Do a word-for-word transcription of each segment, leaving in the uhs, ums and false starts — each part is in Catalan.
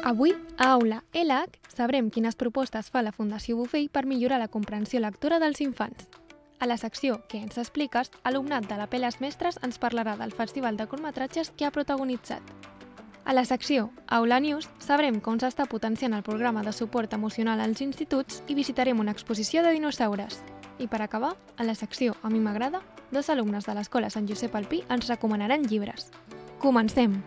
Avui, a Aula L H, sabrem quines propostes fa la Fundació Bofill per millorar la comprensió lectora dels infants. A la secció Què ens expliques, alumnat de la Peles Mestres ens parlarà del festival de curtmetratges que ha protagonitzat. A la secció Aula News sabrem com s'està potenciant el programa de suport emocional als instituts i visitarem una exposició de dinosaures. I per acabar, a la secció A mi m'agrada, dos alumnes de l'Escola Sant Josep Alpí ens recomanaran llibres. Comencem!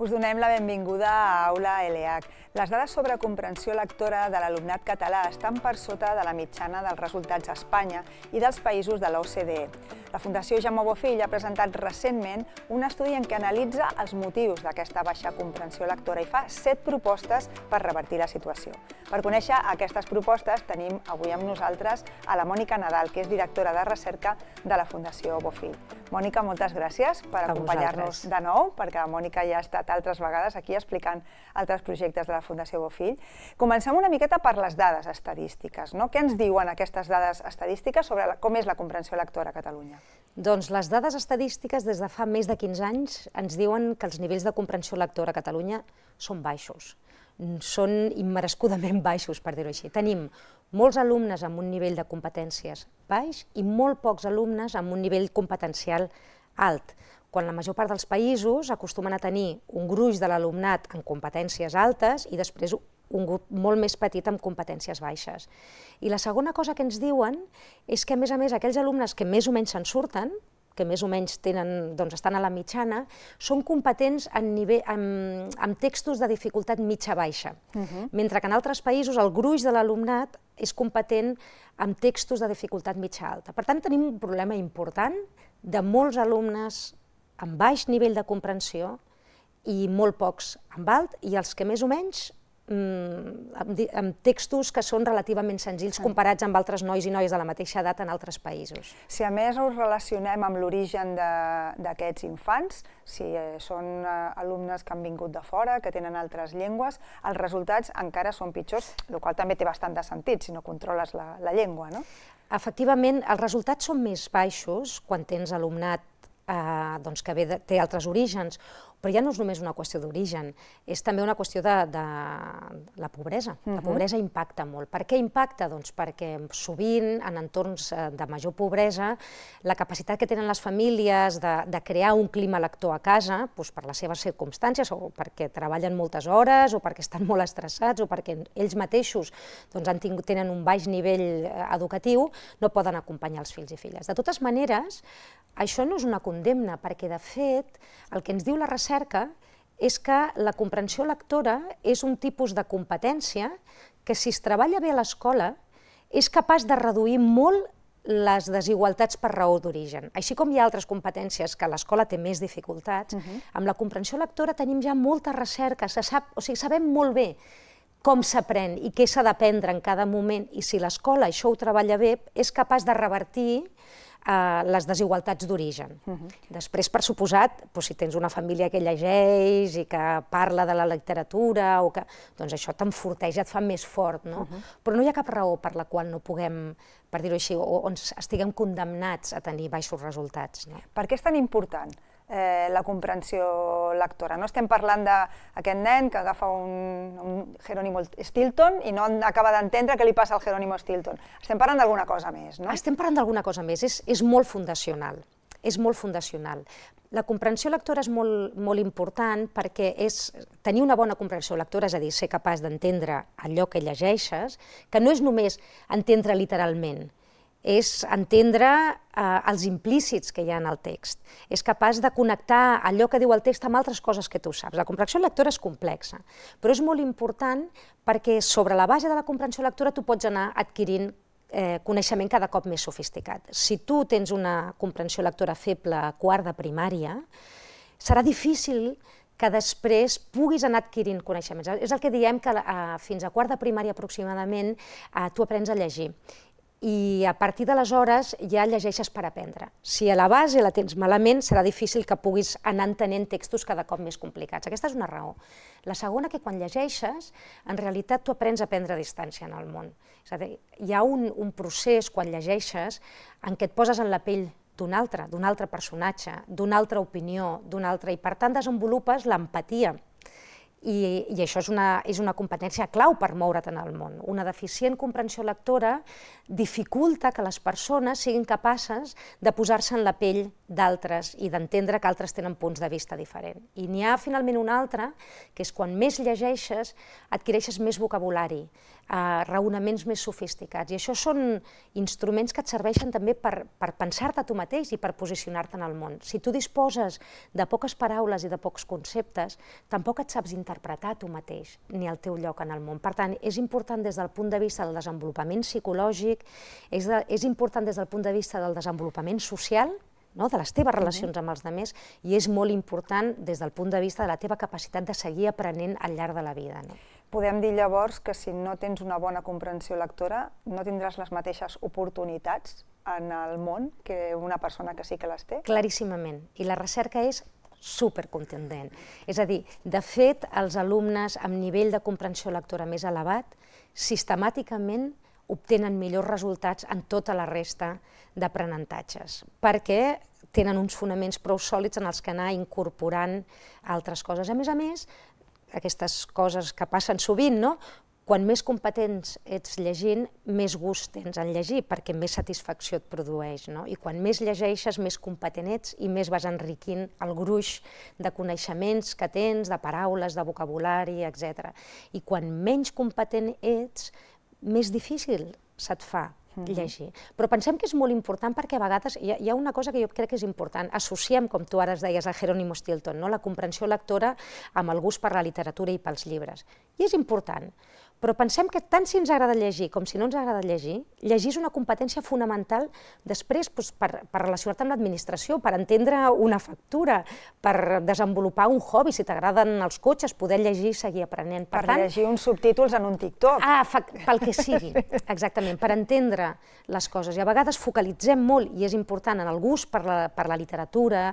Us donem la benvinguda a Aula L H. Les dades sobre comprensió lectora de l'alumnat català estan per sota de la mitjana dels resultats a Espanya i dels països de l'O C D E. La Fundació Jaume Bofill ha presentat recentment un estudi en què analitza els motius d'aquesta baixa comprensió lectora i fa set propostes per revertir la situació. Per conèixer aquestes propostes tenim avui amb nosaltres a la Mònica Nadal, que és directora de recerca de la Fundació Bofill. Mònica, moltes gràcies per acompanyar-nos de nou, perquè la Mònica ja ha estat altres vegades aquí explicant altres projectes de la Fundació Bofill. Comencem una miqueta per les dades estadístiques, no? Què ens diuen aquestes dades estadístiques sobre com és la comprensió lectora a Catalunya? Doncs les dades estadístiques des de fa més de quinze anys ens diuen que els nivells de comprensió lectora a Catalunya són baixos. Són immerescudament baixos, per dir-ho així. Tenim molts alumnes amb un nivell de competències baix i molt pocs alumnes amb un nivell competencial alt, quan la major part dels països acostumen a tenir un gruix de l'alumnat en competències altes i després un grup molt més petit amb competències baixes. I la segona cosa que ens diuen és que, a més a més, aquells alumnes que més o menys se'n surten, que més o menys tenen, doncs, estan a la mitjana, són competents en nivell, amb, amb textos de dificultat mitja-baixa, uh-huh. mentre que en altres països el gruix de l'alumnat és competent amb textos de dificultat mitja-alta. Per tant, tenim un problema important de molts alumnes amb baix nivell de comprensió i molt pocs amb alt, i els que més o menys amb textos que són relativament senzills comparats amb altres nois i noies de la mateixa edat en altres països. Si a més us relacionem amb l'origen d'aquests infants, si són alumnes que han vingut de fora, que tenen altres llengües, els resultats encara són pitjors, el qual també té bastant de sentit si no controles la llengua, no? Efectivament, els resultats són més baixos quan tens alumnat que té altres orígens, però ja no és només una qüestió d'origen, és també una qüestió de la pobresa. La pobresa impacta molt. Per què impacta? Doncs perquè sovint, en entorns de major pobresa, la capacitat que tenen les famílies de crear un clima lector a casa, per les seves circumstàncies, o perquè treballen moltes hores, o perquè estan molt estressats, o perquè ells mateixos tenen un baix nivell educatiu, no poden acompanyar els fills i filles. De totes maneres, això no és una condemna, perquè, de fet, el que ens diu la recerca és que la comprensió lectora és un tipus de competència que, si es treballa bé a l'escola, és capaç de reduir molt les desigualtats per raó d'origen. Així com hi ha altres competències que l'escola té més dificultats, amb la comprensió lectora tenim ja molta recerca, o sigui, sabem molt bé com s'aprèn i què s'ha d'aprendre en cada moment, i si l'escola això ho treballa bé, és capaç de revertir les desigualtats d'origen. Després, per suposat, si tens una família que llegeix i que parla de la literatura, doncs això t'enforteix, et fa més fort, no? Però no hi ha cap raó per la qual no puguem, per dir-ho així, o estiguem condemnats a tenir baixos resultats. Per què és tan important la comprensió lectora? No estem parlant d'aquest nen que agafa un Jerónimo Stilton i no acaba d'entendre què li passa al Jerónimo Stilton. Estem parlant d'alguna cosa més, no? Estem parlant d'alguna cosa més, és molt fundacional. És molt fundacional. La comprensió lectora és molt important perquè tenir una bona comprensió lectora, és a dir, ser capaç d'entendre allò que llegeixes, que no és només entendre literalment, és entendre els implícits que hi ha en el text. És capaç de connectar allò que diu el text amb altres coses que tu saps. La comprensió lectora és complexa, però és molt important perquè sobre la base de la comprensió lectora tu pots anar adquirint coneixement cada cop més sofisticat. Si tu tens una comprensió lectora feble a quart de primària, serà difícil que després puguis anar adquirint coneixements. És el que diem que fins a quart de primària aproximadament tu aprens a llegir. i a partir d'aleshores ja llegeixes per aprendre. Si a la base la tens malament, serà difícil que puguis anar entenent textos cada cop més complicats. Aquesta és una raó. La segona, que quan llegeixes, en realitat tu aprens a prendre distància en el món. És a dir, hi ha un, un procés, quan llegeixes, en què et poses en la pell d'un altre, d'un altre personatge, d'una altra opinió, d'un altre, i per tant desenvolupes l'empatia. I, i això és una, és una competència clau per moure't en el món. Una deficient comprensió lectora dificulta que les persones siguin capaces de posar-se en la pell d'altres i d'entendre que altres tenen punts de vista diferents. I n'hi ha finalment un altre, que és quan més llegeixes, adquireixes més vocabulari, eh, raonaments més sofisticats. I això són instruments que et serveixen també per, per pensar-te tu mateix i per posicionar-te en el món. Si tu disposes de poques paraules i de pocs conceptes, tampoc et saps interpretar tu mateix, ni el teu lloc en el món. Per tant, és important des del punt de vista del desenvolupament psicològic, és, de, és important des del punt de vista del desenvolupament social, no? De les teves relacions amb els altres, i és molt important des del punt de vista de la teva capacitat de seguir aprenent al llarg de la vida. No? Podem dir llavors que si no tens una bona comprensió lectora, no tindràs les mateixes oportunitats en el món que una persona que sí que les té? Claríssimament, i la recerca és supercontundent. És a dir, de fet, els alumnes amb nivell de comprensió lectora més elevat sistemàticament obtenen millors resultats en tota la resta d'aprenentatges, perquè tenen uns fonaments prou sòlids en els que anar incorporant altres coses. A més a més, aquestes coses que passen sovint, no? Quan més competents ets llegint, més gust tens en llegir, perquè més satisfacció et produeix, no? I quan més llegeixes, més competent ets i més vas enriquint el gruix de coneixements que tens, de paraules, de vocabulari, etcètera. I quan menys competent ets, més difícil se't fa llegir. Però pensem que és molt important perquè a vegades hi ha, hi ha una cosa que jo crec que és important. Associem, com tu ara es deies, a Jerónimo Stilton, no? La comprensió lectora amb el gust per la literatura i pels llibres. I és important. Però pensem que tant si ens agrada llegir com si no ens agrada llegir, llegir és una competència fonamental després doncs, per, per relacionar-te amb l'administració, per entendre una factura, per desenvolupar un hobby, si t'agraden els cotxes, poder llegir i seguir aprenent. Per, per tant, llegir uns subtítols en un TikTok. Ah, fa, pel que sigui, exactament, per entendre les coses. I a vegades focalitzem molt, i és important, en el gust per la, per la literatura,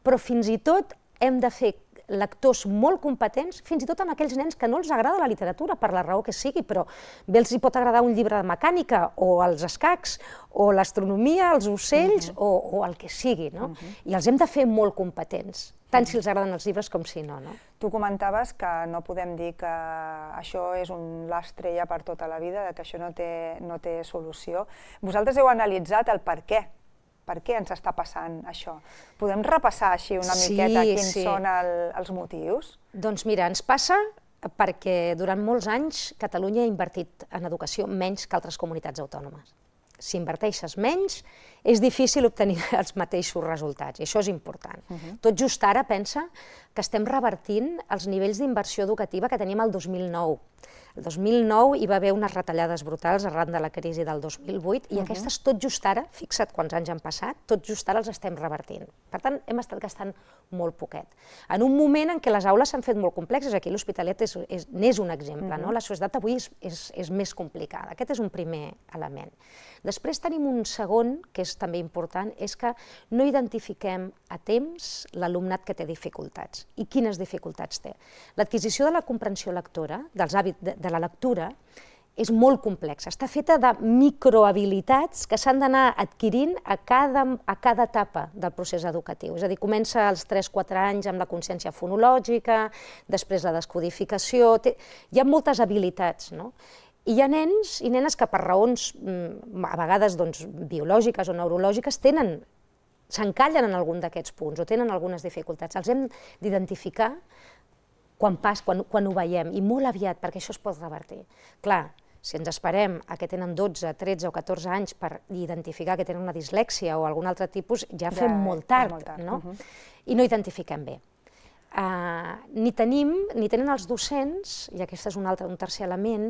però fins i tot hem de fer lectors molt competents, fins i tot amb aquells nens que no els agrada la literatura, per la raó que sigui, però bé els hi pot agradar un llibre de mecànica, o els escacs, o l'astronomia, els ocells, uh-huh. o, o el que sigui, no? Uh-huh. I els hem de fer molt competents, tant uh-huh. si els agraden els llibres com si no, no? Tu comentaves que no podem dir que això és un l'estrella per tota la vida, que això no té, no té solució. Vosaltres heu analitzat el per què. Per què ens està passant això? Podem repassar així una sí, miqueta quins sí. són el, els motius? Doncs mira, ens passa perquè durant molts anys Catalunya ha invertit en educació menys que altres comunitats autònomes. Si inverteixes menys, és difícil obtenir els mateixos resultats, i això és important. Uh-huh. Tot just ara pensa que estem revertint els nivells d'inversió educativa que teníem el dos mil nou. El dos mil nou hi va haver unes retallades brutals arran de la crisi del dos mil vuit i uh-huh. aquestes tot just ara, fixa't quants anys han passat, tot just ara els estem revertint. Per tant, hem estat gastant molt poquet. En un moment en què les aules s'han fet molt complexes, aquí l'Hospitalet n'és un exemple, uh-huh. no? La societat avui és, és, és més complicada. Aquest és un primer element. Després tenim un segon, que és també important, és que no identifiquem a temps l'alumnat que té dificultats. I quines dificultats té? L'adquisició de la comprensió lectora, dels hàbits de, de la lectura, és molt complexa. Està feta de microhabilitats que s'han d'anar adquirint a cada, a cada etapa del procés educatiu. És a dir, comença als tres quatre anys amb la consciència fonològica, després la descodificació... Té... Hi ha moltes habilitats, no? I hi ha nens i nenes que per raons, a vegades doncs, biològiques o neurològiques, tenen, s'encallen en algun d'aquests punts o tenen algunes dificultats. Els hem d'identificar quan, pas, quan, quan ho veiem, i molt aviat, perquè això es pot revertir. Clar, si ens esperem a que tenen dotze, tretze o catorze anys per identificar que tenen una dislèxia o algun altre tipus, ja fem ja, molt tard, molt tard. No? Uh-huh. I no identifiquem bé. Uh, ni tenim, ni tenen els docents, i aquest és un, altre, un tercer element,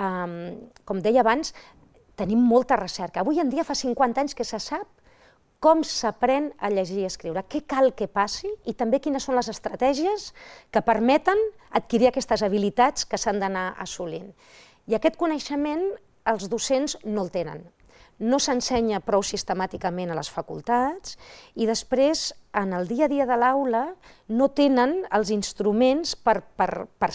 um, com deia abans, tenim molta recerca. Avui en dia fa cinquanta anys que se sap com s'aprèn a llegir i escriure, què cal que passi i també quines són les estratègies que permeten adquirir aquestes habilitats que s'han d'anar assolint. I aquest coneixement els docents no el tenen. no s'ensenya prou sistemàticament a les facultats i després, en el dia a dia de l'aula, no tenen els instruments per, per, per,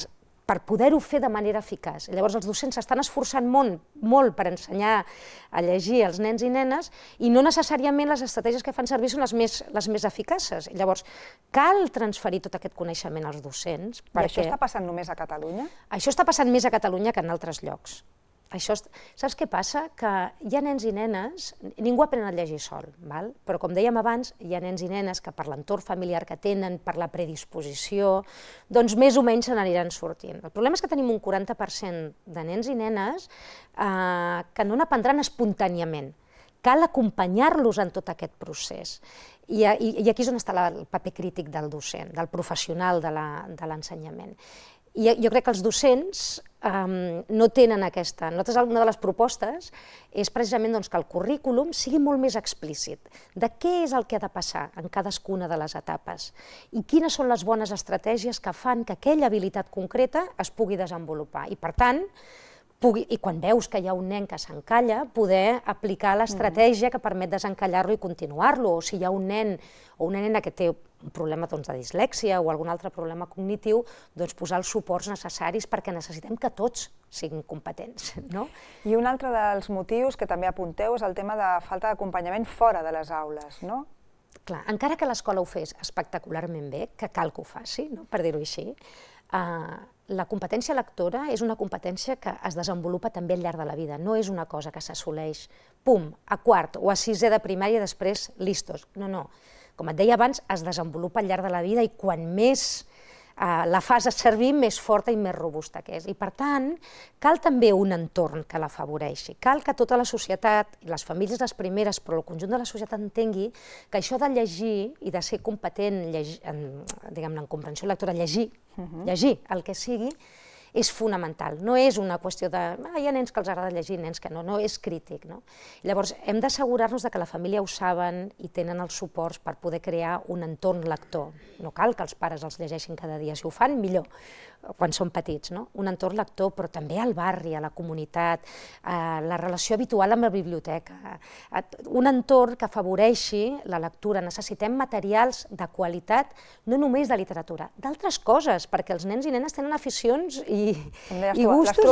per poder-ho fer de manera eficaç. Llavors, els docents s'estan esforçant molt, molt per ensenyar a llegir als nens i nenes i no necessàriament les estratègies que fan servir són les més, les més eficaces. Llavors, cal transferir tot aquest coneixement als docents. I perquè... això està passant només a Catalunya? Això està passant més a Catalunya que en altres llocs. Això, saps què passa? Que hi ha nens i nenes, ningú aprèn a llegir sol, val? Però com dèiem abans, hi ha nens i nenes que per l'entorn familiar que tenen, per la predisposició, doncs més o menys se n'aniran sortint. El problema és que tenim un quaranta per cent de nens i nenes eh, que no n'aprendran espontàniament. Cal acompanyar-los en tot aquest procés. I, i, i aquí és on està la, el paper crític del docent, del professional de l'ensenyament. I jo crec que els docents um, no tenen aquesta... Nosaltres, una de les propostes és precisament doncs, que el currículum sigui molt més explícit de què és el que ha de passar en cadascuna de les etapes i quines són les bones estratègies que fan que aquella habilitat concreta es pugui desenvolupar. I, per tant, pugui, i quan veus que hi ha un nen que s'encalla, poder aplicar l'estratègia que permet desencallar-lo i continuar-lo. O si hi ha un nen o una nena que té un problema doncs, de dislèxia o algun altre problema cognitiu, doncs posar els suports necessaris perquè necessitem que tots siguin competents. No? I un altre dels motius que també apunteu és el tema de falta d'acompanyament fora de les aules, no? Clar, encara que l'escola ho fes espectacularment bé, que cal que ho faci, no? Per dir-ho així, eh, la competència lectora és una competència que es desenvolupa també al llarg de la vida, no és una cosa que s'assoleix, pum, a quart o a sisè de primària i després listos. No, no. Com et deia abans, es desenvolupa al llarg de la vida i quan més eh, la fas servir, més forta i més robusta que és. I per tant, cal també un entorn que l'afavoreixi. Cal que tota la societat, i les famílies les primeres, però el conjunt de la societat entengui que això de llegir i de ser competent llegir, en, diguem-ne, en comprensió lectora, llegir, uh-huh. llegir el que sigui, és fonamental. No és una qüestió de... Ah, hi ha nens que els agrada llegir, nens que no, no, és crític. No? Llavors, hem d'assegurar-nos que la família ho saben i tenen els suports per poder crear un entorn lector. No cal que els pares els llegeixin cada dia, si ho fan, millor, quan són petits. No? Un entorn lector, però també al barri, a la comunitat, a la relació habitual amb la biblioteca, un entorn que afavoreixi la lectura. Necessitem materials de qualitat, no només de literatura, d'altres coses, perquè els nens i nenes tenen aficions i i, i gustos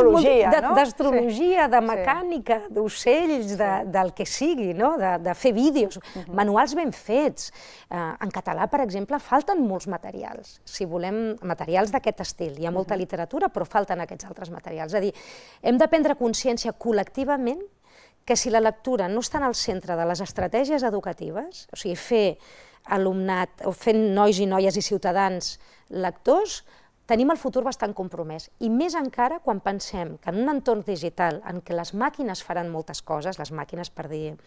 d'astrologia, de mecànica, d'ocells, del que sigui, de fer vídeos, manuals ben fets. En català, per exemple, falten molts materials, si volem materials d'aquest estil. Hi ha molta literatura, però falten aquests altres materials. És a dir, hem de prendre consciència col·lectivament que si la lectura no està en el centre de les estratègies educatives, o sigui, fer alumnat, o fer nois i noies i ciutadans lectors, tenim el futur bastant compromès, i més encara quan pensem que en un entorn digital en què les màquines faran moltes coses, les màquines per dir,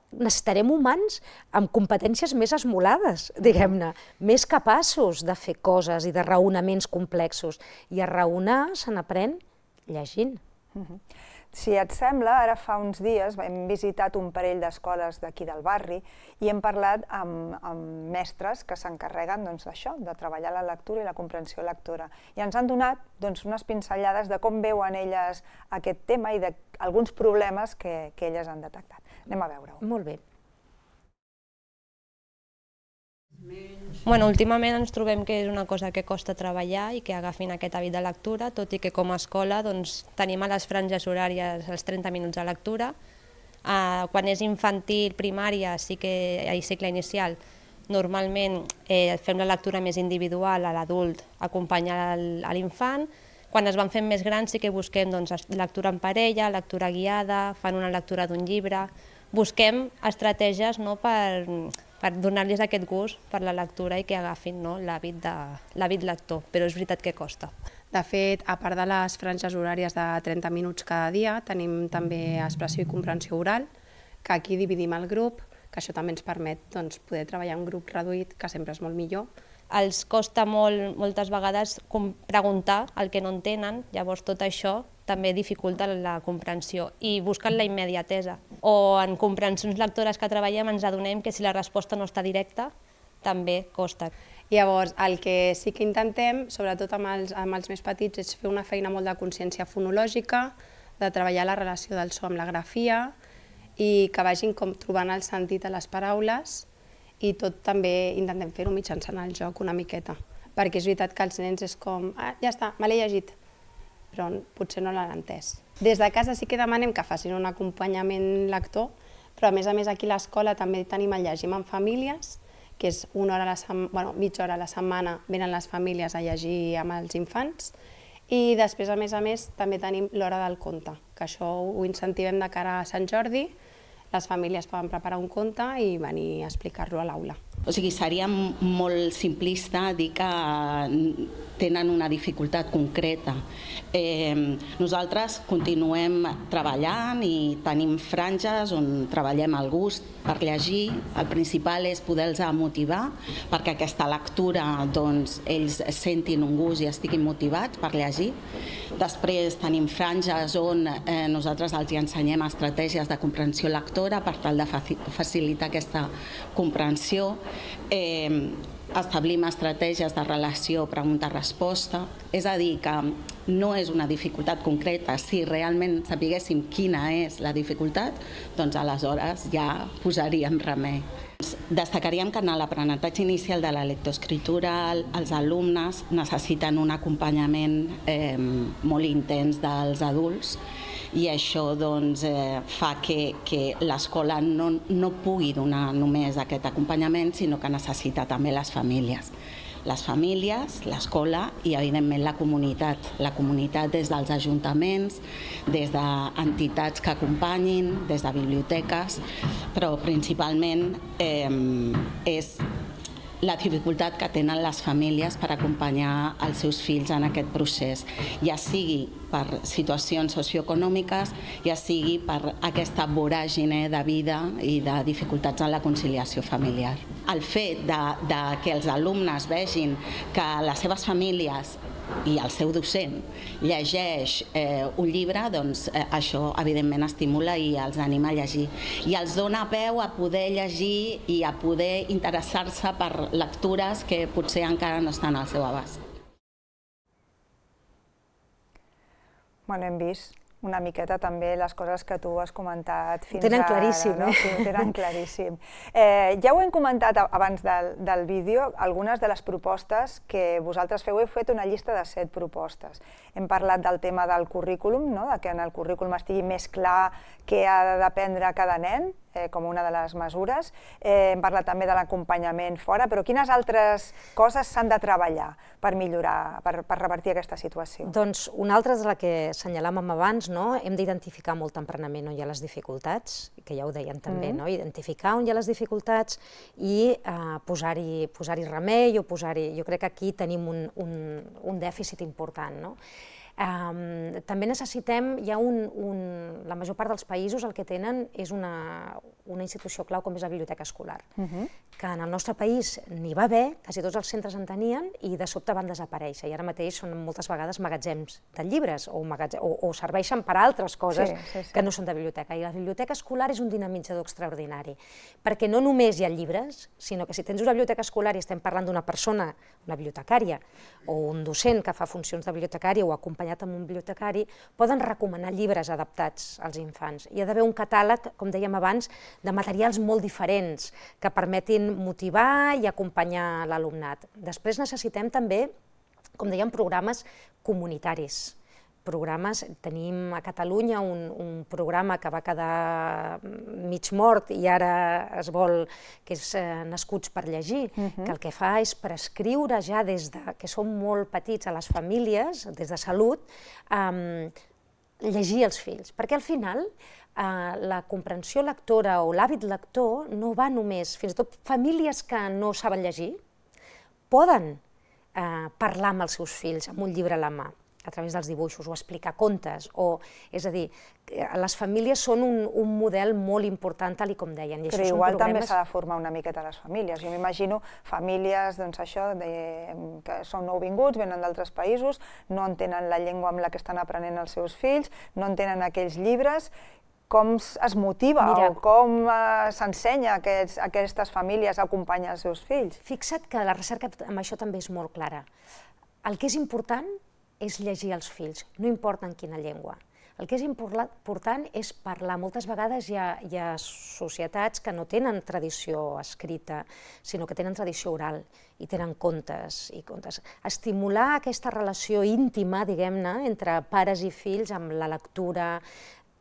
necessitarem humans amb competències més esmolades, diguem-ne, més capaços de fer coses i de raonaments complexos, i a raonar se n'aprèn llegint. Si et sembla, ara fa uns dies hem visitat un parell d'escoles d'aquí del barri i hem parlat amb, amb mestres que s'encarreguen d'això, de treballar la lectura i la comprensió lectora. I ens han donat doncs, unes pinzellades de com veuen elles aquest tema i d'alguns problemes que, que elles han detectat. Anem a veure-ho. Molt bé. Bueno, últimament ens trobem que és una cosa que costa treballar i que agafin aquest hàbit de lectura, tot i que com a escola doncs, tenim a les franges horàries els trenta minuts de lectura. Uh, quan és infantil, primària, sí que hi ha cicle inicial, normalment eh, fem la lectura més individual a l'adult, acompanyar a l'infant. Quan es van fent més grans sí que busquem doncs, lectura en parella, lectura guiada, fan una lectura d'un llibre. Busquem estratègies no, per... per donar-los aquest gust per la lectura i que agafin no, l'hàbit lector, però és veritat que costa. De fet, a part de les franges horàries de trenta minuts cada dia, tenim també expressió i comprensió oral, que aquí dividim el grup, que això també ens permet doncs, poder treballar en un grup reduït, que sempre és molt millor. Els costa molt, moltes vegades preguntar el que no entenen, llavors tot això també dificulta la comprensió i busquen la immediatesa. O en comprensions lectores que treballem ens adonem que si la resposta no està directa, també costa. Llavors, el que sí que intentem, sobretot amb els, amb els més petits, és fer una feina molt de consciència fonològica, de treballar la relació del so amb la grafia i que vagin com trobant el sentit a les paraules i tot també intentem fer-ho mitjançant el joc una miqueta, perquè és veritat que els nens és com, ah, ja està, me l'he llegit, però potser no l'han entès. Des de casa sí que demanem que facin un acompanyament lector, però a més a més aquí a l'escola també tenim el Llegim en famílies, que és una hora a la setmana, bueno, mitja hora a la setmana venen les famílies a llegir amb els infants, i després, a més a més, també tenim l'hora del conte, que això ho incentivem de cara a Sant Jordi. Les famílies poden preparar un conte i venir a explicar-lo a l'aula. O sigui, seria molt simplista dir que tenen una dificultat concreta. Eh, nosaltres continuem treballant i tenim franges on treballem el gust per llegir. El principal és poder-los motivar perquè aquesta lectura doncs, ells sentin un gust i estiguin motivats per llegir. Després tenim franges on eh, nosaltres els ensenyem estratègies de comprensió lectora per tal de facilitar aquesta comprensió. Eh, establim estratègies de relació pregunta-resposta, és a dir, que no és una dificultat concreta. Si realment sapiguéssim quina és la dificultat, doncs aleshores ja posaríem remei. Destacaríem que en l'aprenentatge inicial de la lectoescriptura els alumnes necessiten un acompanyament eh, molt intens dels adults, i això doncs, eh, fa que, que l'escola no, no pugui donar només aquest acompanyament, sinó que necessita també les famílies. Les famílies, l'escola i, evidentment, la comunitat. La comunitat des dels ajuntaments, des d'entitats que acompanyin, des de biblioteques, però principalment eh, és la dificultat que tenen les famílies per acompanyar els seus fills en aquest procés, ja sigui per situacions socioeconòmiques, ja sigui per aquesta voràgine de vida i de dificultats en la conciliació familiar. El fet de, de que els alumnes vegin que les seves famílies i el seu docent llegeix eh, un llibre, doncs eh, això evidentment estimula i els anima a llegir. I els dona peu a poder llegir i a poder interessar-se per lectures que potser encara no estan al seu abast. Bueno, hem vist una miqueta també les coses que tu has comentat fins ara. Ho tenen claríssim, eh? Sí, ho tenen claríssim. Eh, ja ho hem comentat abans del, del vídeo, algunes de les propostes que vosaltres feu. Heu fet una llista de set propostes. Hem parlat del tema del currículum, no? De que en el currículum estigui més clar què ha d'aprendre cada nen, eh, com una de les mesures. Eh, hem parlat també de l'acompanyament fora, però quines altres coses s'han de treballar per millorar, per, per revertir aquesta situació? Doncs una altra és la que assenyalàvem abans, no? Hem d'identificar molt tempranament on hi ha les dificultats, que ja ho deien també, mm. no? Identificar on hi ha les dificultats i eh, posar-hi posar-hi remei o posar-hi... Jo crec que aquí tenim un, un, un dèficit important, no? Um, també necessitem, hi ha un, un, la major part dels països el que tenen és una, una institució clau com és la biblioteca escolar, uh-huh. que en el nostre país n'hi va haver, quasi tots els centres en tenien i de sobte van desaparèixer i ara mateix són moltes vegades magatzems de llibres o, magatzems, o, o serveixen per a altres coses sí, sí, sí. que no són de biblioteca. I la biblioteca escolar és un dinamitzador extraordinari, perquè no només hi ha llibres, sinó que si tens una biblioteca escolar i estem parlant d'una persona, una bibliotecària o un docent que fa funcions de bibliotecària o acompanyat amb un bibliotecari, poden recomanar llibres adaptats als infants. Hi ha d'haver un catàleg, com dèiem abans, de materials molt diferents que permetin motivar i acompanyar l'alumnat. Després necessitem també, com dèiem, programes comunitaris. Programes, tenim a Catalunya un, un programa que va quedar mig mort i ara es vol, que és eh, Nascuts per llegir, uh-huh. que el que fa és prescriure ja des de, que són molt petits a les famílies, des de salut, eh, llegir els fills, perquè al final eh, la comprensió lectora o l'hàbit lector no va només, fins i tot famílies que no saben llegir, poden eh, parlar amb els seus fills amb un llibre a la mà, a través dels dibuixos, o explicar contes, o, és a dir, les famílies són un, un model molt important, tal i com deien. I Però això igual són programes... també s'ha de formar una miqueta les famílies. Jo m'imagino famílies, doncs això, de, que són nouvinguts, venen d'altres països, no entenen la llengua amb la que estan aprenent els seus fills, no entenen aquells llibres. Com es motiva Mira, o com uh, s'ensenya a aquests, a aquestes famílies a acompanyar els seus fills? Fixa't que la recerca amb això també és molt clara. El que és important és llegir als fills, no importa en quina llengua. El que és important és parlar. Moltes vegades hi ha, hi ha societats que no tenen tradició escrita, sinó que tenen tradició oral i tenen contes i contes. Estimular aquesta relació íntima, diguem-ne, entre pares i fills amb la lectura,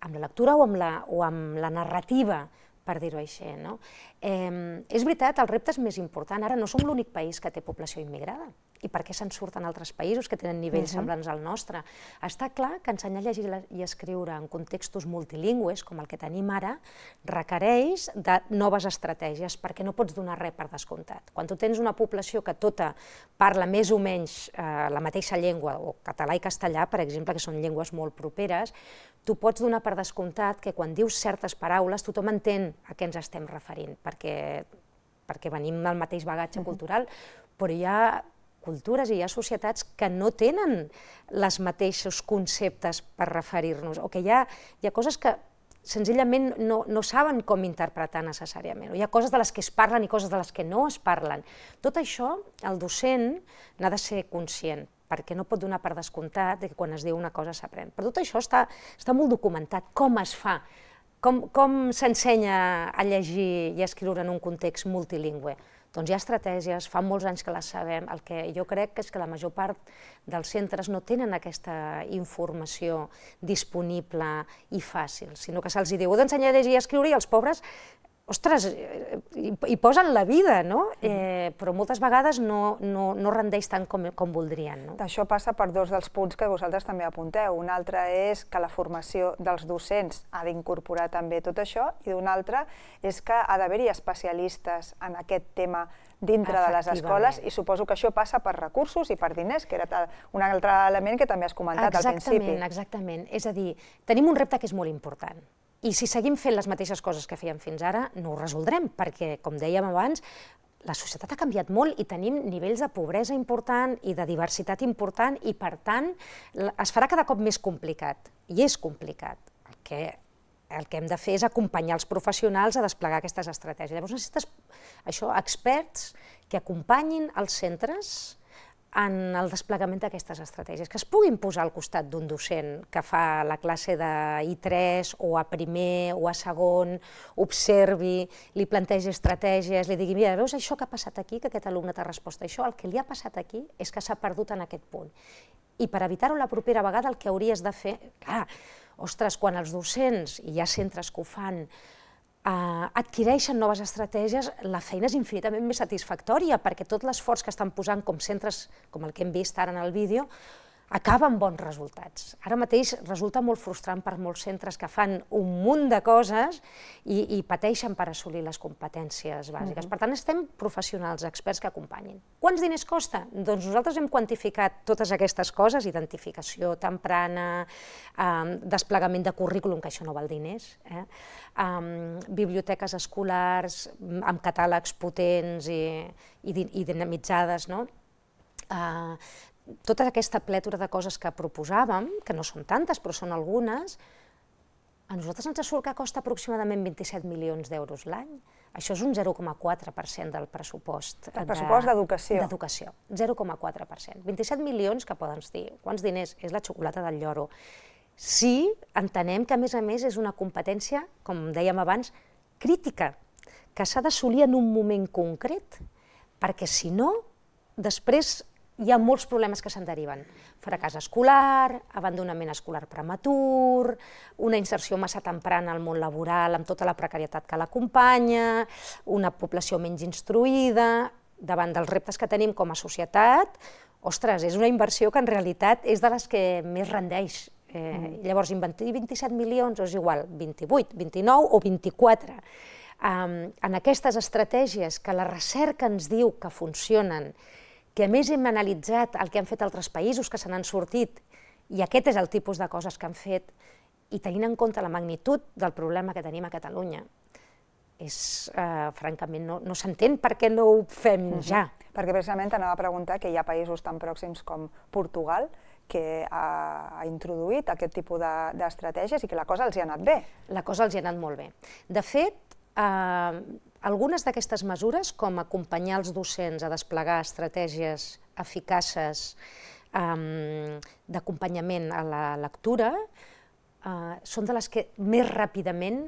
amb la lectura o amb la, o amb la narrativa, per dir-ho així. No? Eh, és veritat, el repte és més important. Ara no som l'únic país que té població immigrada. I per què se'n surten altres països que tenen nivells uh-huh. semblants al nostre? Està clar que ensenyar a llegir i escriure en contextos multilingües, com el que tenim ara, requereix de noves estratègies, perquè no pots donar res per descomptat. Quan tu tens una població que tota parla més o menys eh, la mateixa llengua, o català i castellà, per exemple, que són llengües molt properes, tu pots donar per descomptat que quan dius certes paraules tothom entén a què ens estem referint, perquè, perquè venim del mateix bagatge uh-huh. cultural, però hi ha cultures i hi ha societats que no tenen els mateixos conceptes per referir-nos, o que hi ha, hi ha coses que senzillament no, no saben com interpretar necessàriament, o hi ha coses de les que es parlen i coses de les que no es parlen. Tot això, el docent n'ha de ser conscient, perquè no pot donar per descomptat que quan es diu una cosa s'aprèn. Però tot això està, està molt documentat, com es fa, com, com s'ensenya a llegir i a escriure en un context multilingüe. Doncs hi ha estratègies, fa molts anys que les sabem, el que jo crec és que la major part dels centres no tenen aquesta informació disponible i fàcil, sinó que se'ls diu, heu d'ensenyar a llegir i a escriure i els pobres, ostres, hi posen la vida, no? Eh, però moltes vegades no, no, no rendeix tant com, com voldrien. No? Això passa per dos dels punts que vosaltres també apunteu. Un altre és que la formació dels docents ha d'incorporar també tot això, i un altre és que ha d'haver-hi especialistes en aquest tema dintre de les escoles, i suposo que això passa per recursos i per diners, que era un altre element que també has comentat al principi. Exactament, exactament. És a dir, tenim un repte que és molt important. I si seguim fent les mateixes coses que fèiem fins ara, no ho resoldrem, perquè, com dèiem abans, la societat ha canviat molt i tenim nivells de pobresa important i de diversitat important i, per tant, es farà cada cop més complicat. I és complicat. El que, el que hem de fer és acompanyar els professionals a desplegar aquestes estratègies. Llavors necessites això, experts que acompanyin els centres en el desplegament d'aquestes estratègies, que es puguin posar al costat d'un docent que fa la classe de I tres o a primer o a segon, observi, li plantegi estratègies, li digui, mira, veus això que ha passat aquí, que aquest alumne t'ha respost això, el que li ha passat aquí és que s'ha perdut en aquest punt. I per evitar-ho la propera vegada el que hauries de fer, clar, ostres, quan els docents, i hi ha centres que ho fan, Uh, adquireixen noves estratègies, la feina és infinitament més satisfactòria, perquè tot l'esforç que estan posant com centres, com el que hem vist ara en el vídeo, acaba amb bons resultats. Ara mateix resulta molt frustrant per molts centres que fan un munt de coses i, i pateixen per assolir les competències bàsiques. Uh-huh. Per tant, estem professionals, experts que acompanyin. Quants diners costa? Doncs nosaltres hem quantificat totes aquestes coses, identificació temprana, um, desplegament de currículum, que això no val diners, eh? um, biblioteques escolars amb catàlegs potents i, i, i dinamitzades, no? Uh, tota aquesta plètora de coses que proposàvem, que no són tantes, però són algunes, a nosaltres ens surt que costa aproximadament vint-i-set milions d'euros l'any. Això és un zero coma quatre per cent del pressupost. El pressupost d'educació. D'educació, zero coma quatre per cent. vint-i-set milions que poden dir, quants diners? És la xocolata del lloro. Sí, entenem que a més a més és una competència, com dèiem abans, crítica, que s'ha d'assolir en un moment concret, perquè si no, després hi ha molts problemes que se'n deriven. Fracàs escolar, abandonament escolar prematur, una inserció massa temprana al món laboral amb tota la precarietat que l'acompanya, una població menys instruïda. Davant dels reptes que tenim com a societat, ostres, és una inversió que en realitat és de les que més rendeix. Eh, mm. Llavors, vint-i-set milions, és igual, vint-i-vuit, vint-i-nou o vint-i-quatre. Um, en aquestes estratègies que la recerca ens diu que funcionen, que a més hem analitzat el que han fet altres països que se n'han sortit, i aquest és el tipus de coses que han fet, i tenint en compte la magnitud del problema que tenim a Catalunya, és, eh, francament, no, no s'entén per què no ho fem uh-huh. ja. Perquè precisament t'anava a preguntar que hi ha països tan pròxims com Portugal que ha, ha introduït aquest tipus d'estratègies i que la cosa els hi ha anat bé. La cosa els hi ha anat molt bé. De fet, eh, algunes d'aquestes mesures, com acompanyar els docents a desplegar estratègies eficaces um, d'acompanyament a la lectura, són de les que més ràpidament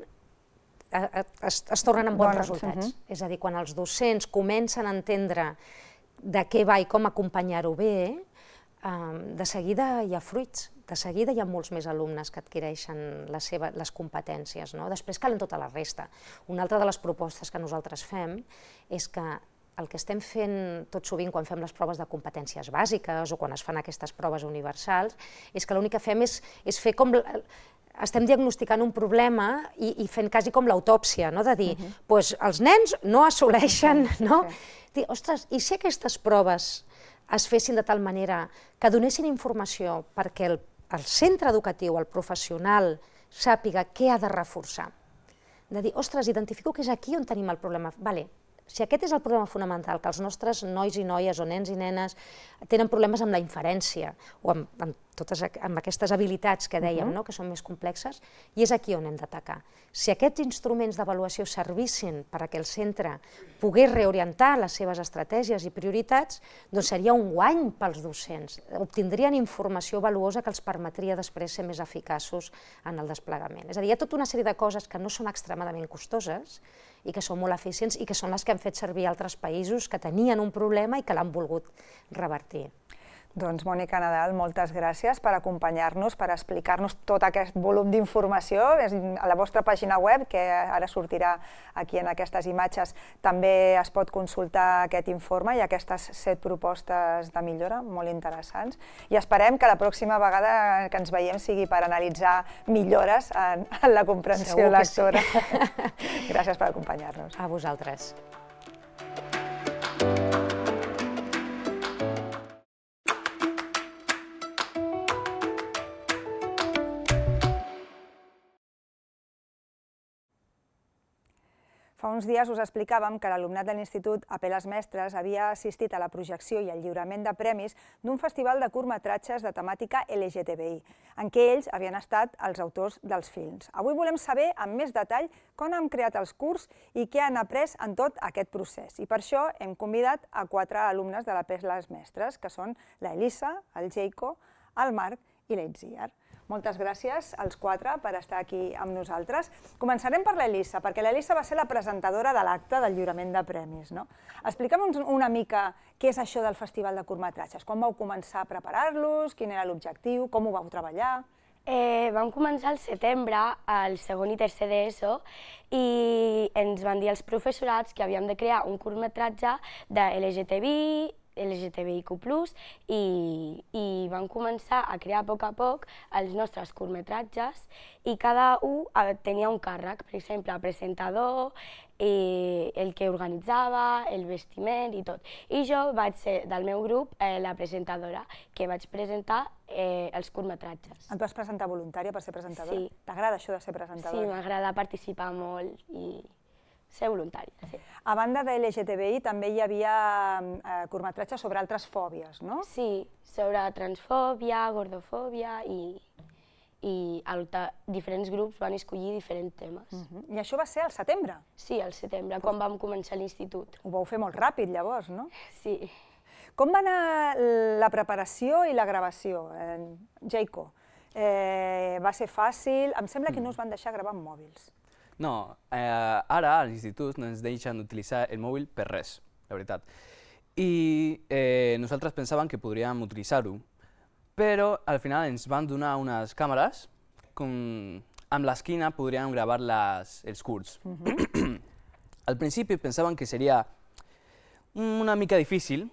es, es tornen amb bons resultats. Uh-huh. És a dir, quan els docents comencen a entendre de què va i com acompanyar-ho bé, eh, de seguida hi ha fruits, de seguida hi ha molts més alumnes que adquireixen les, seves, les competències. No? Després calen tota la resta. Una altra de les propostes que nosaltres fem és que el que estem fent tot sovint quan fem les proves de competències bàsiques o quan es fan aquestes proves universals és que l'únic que fem és, és fer com... Estem diagnosticant un problema i, i fent quasi com l'autòpsia, no? De dir, uh-huh. pues, els nens no assoleixen, no? Okay. Dir, ostres, i si aquestes proves es fessin de tal manera que donessin informació perquè el, el centre educatiu, el professional, sàpiga què ha de reforçar? De dir, ostres, identifico que és aquí on tenim el problema. Vale, si aquest és el problema fonamental, que els nostres nois i noies o nens i nenes tenen problemes amb la inferència o amb, amb, totes, amb aquestes habilitats que dèiem, uh-huh. no? Que són més complexes, i és aquí on hem d'atacar. Si aquests instruments d'avaluació servissin perquè el centre pogués reorientar les seves estratègies i prioritats, doncs seria un guany pels docents. Obtindrien informació valuosa que els permetria després ser més eficaços en el desplegament. És a dir, hi ha tota una sèrie de coses que no són extremadament costoses i que són molt eficients i que són les que han fet servir altres països que tenien un problema i que l'han volgut revertir. Doncs, Mònica Nadal, moltes gràcies per acompanyar-nos, per explicar-nos tot aquest volum d'informació. A la vostra pàgina web, que ara sortirà aquí en aquestes imatges, també es pot consultar aquest informe i aquestes set propostes de millora molt interessants. I esperem que la pròxima vegada que ens veiem sigui per analitzar millores en la comprensió lectora. Gràcies per acompanyar-nos. A vosaltres. Fa uns dies us explicàvem que l'alumnat de l'Institut Apeles Mestres havia assistit a la projecció i al lliurament de premis d'un festival de curtmetratges de temàtica L G T B I, en què ells havien estat els autors dels films. Avui volem saber amb més detall com han creat els curts i què han après en tot aquest procés. I per això hem convidat a quatre alumnes de l'Apeles Mestres, que són la Elisa, el Jayco, el Marc i l'Itziar. Moltes gràcies als quatre per estar aquí amb nosaltres. Començarem per l'Elisa, perquè l'Elisa va ser la presentadora de l'acte del lliurament de premis. Explica'm una mica què és això del Festival de Curtmetratges. Quan vau començar a preparar-los, quin era l'objectiu, com ho vau treballar? Vam començar al setembre, al segon i tercer d'ESO, i ens van dir els professorats que havíem de crear un curtmetratge de L G T B I, L G T B I Q plus, i, i vam començar a crear a poc a poc els nostres curtmetratges i cada un tenia un càrrec, per exemple, el presentador, eh, el que organitzava, el vestiment i tot. I jo vaig ser del meu grup eh, la presentadora, que vaig presentar eh, els curtmetratges. Et vas presentar voluntària per ser presentadora? Sí. T'agrada això de ser presentadora? Sí, m'agrada participar molt i ser voluntària, sí. A banda de L G T B I també hi havia eh, curtmetratges sobre altres fòbies, no? Sí, sobre transfòbia, gordofòbia i, i alta, diferents grups van escollir diferents temes. Uh-huh. I això va ser al setembre? Sí, al setembre, quan vam començar l'institut. Ho vau fer molt ràpid, llavors, no? Sí. Com va anar la preparació i la gravació, eh, Jayco? Eh, va ser fàcil? Em sembla que no us van deixar gravar amb mòbils. No, eh, ara a l'institut no ens deixen utilitzar el mòbil per res, la veritat. I eh, nosaltres pensàvem que podríem utilitzar-ho, però al final ens van donar unes càmeres com amb l'esquina podríem gravar les, els curts. Uh-huh. Al principi pensàvem que seria una mica difícil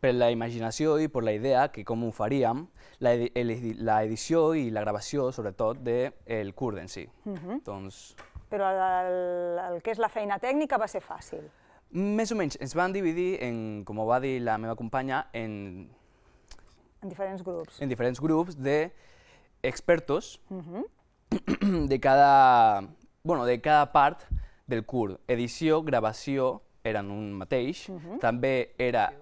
per la imaginació i per la idea que com ho faríem, la, edi la edició i la gravació, sobretot, del curt en si. Uh-huh. Doncs, però el, el que és la feina tècnica va ser fàcil. Més o menys. Ens van dividir, en, com ho va dir la meva companya, en... En diferents grups. En diferents grups d'expertos uh-huh. de cada... Bueno, de cada part del curt. Edició, gravació, eren un mateix. Uh-huh. També era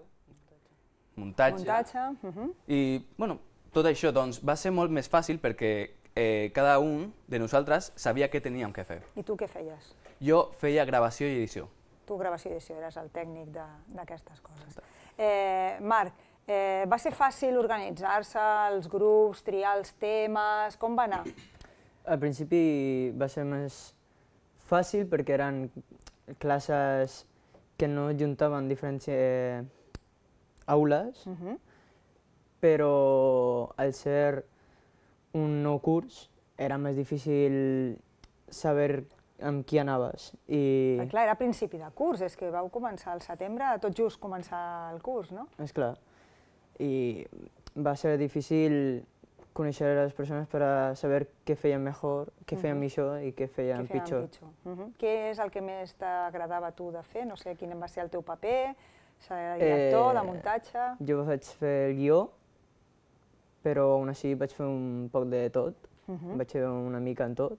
muntatge. Muntatge. Uh-huh. I, bueno, tot això, doncs, va ser molt més fàcil perquè Eh, cada un de nosaltres sabia què teníem que fer. I tu què feies? Jo feia gravació i edició. Tu gravació i edició, eres el tècnic d'aquestes coses. Eh, Marc, eh, va ser fàcil organitzar-se, els grups, triar els temes, com va anar? Al principi va ser més fàcil perquè eren classes que no juntaven diferents eh, aules, uh -huh. però al ser un nou curs era més difícil saber amb qui anaves. I... Però, clar, era principi de curs, és que vau començar al setembre, tot just començar el curs, no? És clar. I va ser difícil conèixer les persones per a saber què feien millor, què feien uh -huh. millor i què feien, què feien pitjor. pitjor. Uh -huh. Què és el que més t'agradava a tu de fer? No sé quin va ser el teu paper, ser de director, eh, de muntatge... Jo vaig fer el guió, però aún així vaig fer un poc de tot, uh -huh. vaig fer una mica en tot,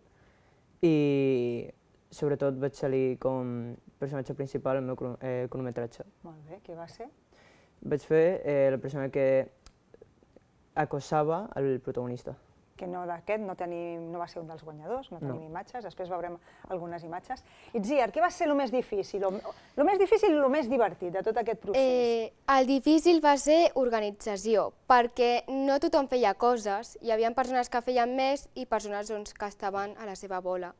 i sobretot vaig salir com personatge principal al meu eh, cronometratge. Molt bé, què va ser? Vaig fer eh, la persona que acosava el protagonista. Que no d'aquest no, tenim, no va ser un dels guanyadors, no tenim no. imatges, després veurem algunes imatges. Itziar, què va ser el més difícil, el més difícil i el més divertit de tot aquest procés? Eh, el difícil va ser organització, perquè no tothom feia coses, hi havia persones que feien més i persones doncs, que estaven a la seva bola.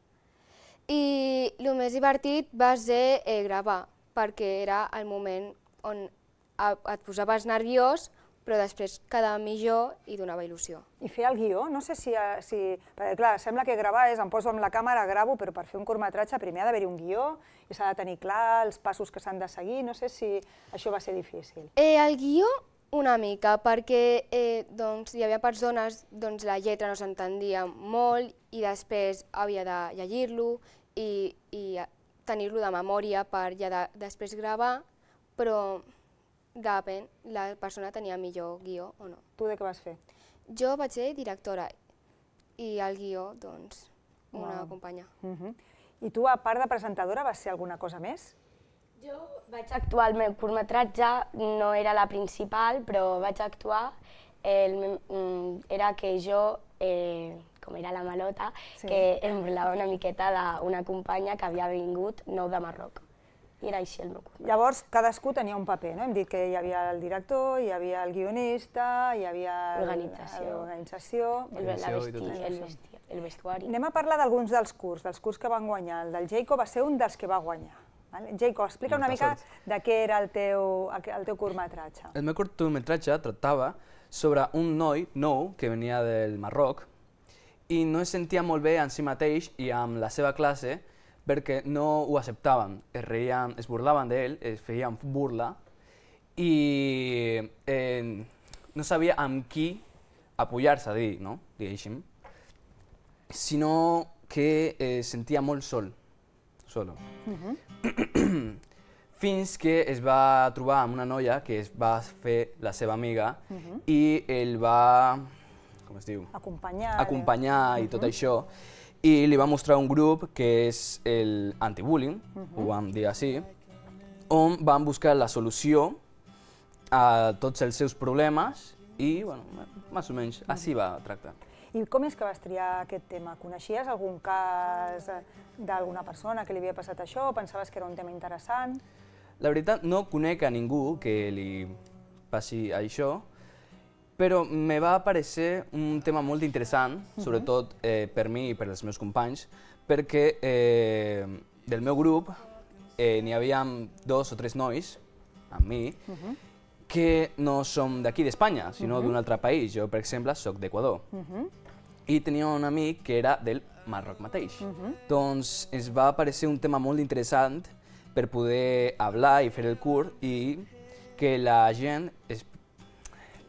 I el més divertit va ser eh, gravar, perquè era el moment on et posaves nerviós, però després quedava millor i donava il·lusió. I fer el guió, no sé si... si perquè clar, sembla que gravar és, em poso amb la càmera, gravo, però per fer un curtmetratge primer ha d'haver-hi un guió i s'ha de tenir clar els passos que s'han de seguir, no sé si això va ser difícil. Eh, el guió una mica, perquè eh, doncs, hi havia persones, doncs la lletra no s'entendia molt i després havia de llegir-lo i, i tenir-lo de memòria per ja de, després gravar, però depèn, la persona tenia millor guió o no. Tu de què vas fer? Jo vaig ser directora i el guió, doncs, una wow. companya. Uh -huh. I tu, a part de presentadora, vas ser alguna cosa més? Jo vaig actuar al meu curtmetratge, no era la principal, però vaig actuar. El, era que jo, eh, com era la malota, sí. que em burlava una miqueta d'una companya que havia vingut nou de Marroc. I era així el meu curtmetratge. Llavors, cadascú tenia un paper, no? Hem dit que hi havia el director, hi havia el guionista, hi havia l'organització, el, el, el vestuari. Anem a parlar d'alguns dels curs, dels curs que van guanyar. El del Jacob va ser un dels que va guanyar. Vale? Jacob, explica una mica de què era el teu, el teu curtmetratge. El meu curtmetratge tractava sobre un noi nou que venia del Marroc i no es sentia molt bé en si mateix i amb la seva classe perquè no ho acceptaven, es reien, es burlaven d'ell, es feien burla i eh, no sabia amb qui apoyar-se, dir, no? diguéssim, sinó que es sentia molt sol, solo. Uh-huh. Fins que es va trobar amb una noia que es va fer la seva amiga uh-huh. i ell va, com es diu? Acompanyar. Acompanyar uh-huh. i tot això. I li va mostrar un grup que és el anti-bullying, uh-huh. ho vam dir així, on van buscar la solució a tots els seus problemes i, bueno, més o menys, així va tractar. I com és que vas triar aquest tema? Coneixies algun cas d'alguna persona que li havia passat això o pensaves que era un tema interessant? La veritat, no conec a ningú que li passi això, però me va parecer un tema molt interessant, uh-huh. sobretot eh, per mi i per als meus companys, perquè eh, del meu grup eh, n'hi havia dos o tres nois, amb mi, uh-huh. que no som d'aquí d'Espanya, sinó uh-huh. d'un altre país. Jo, per exemple, soc d'Equador. Uh-huh. I tenia un amic que era del Marroc mateix. Uh-huh. Doncs ens va parecer un tema molt interessant per poder parlar i fer el curt i que la gent es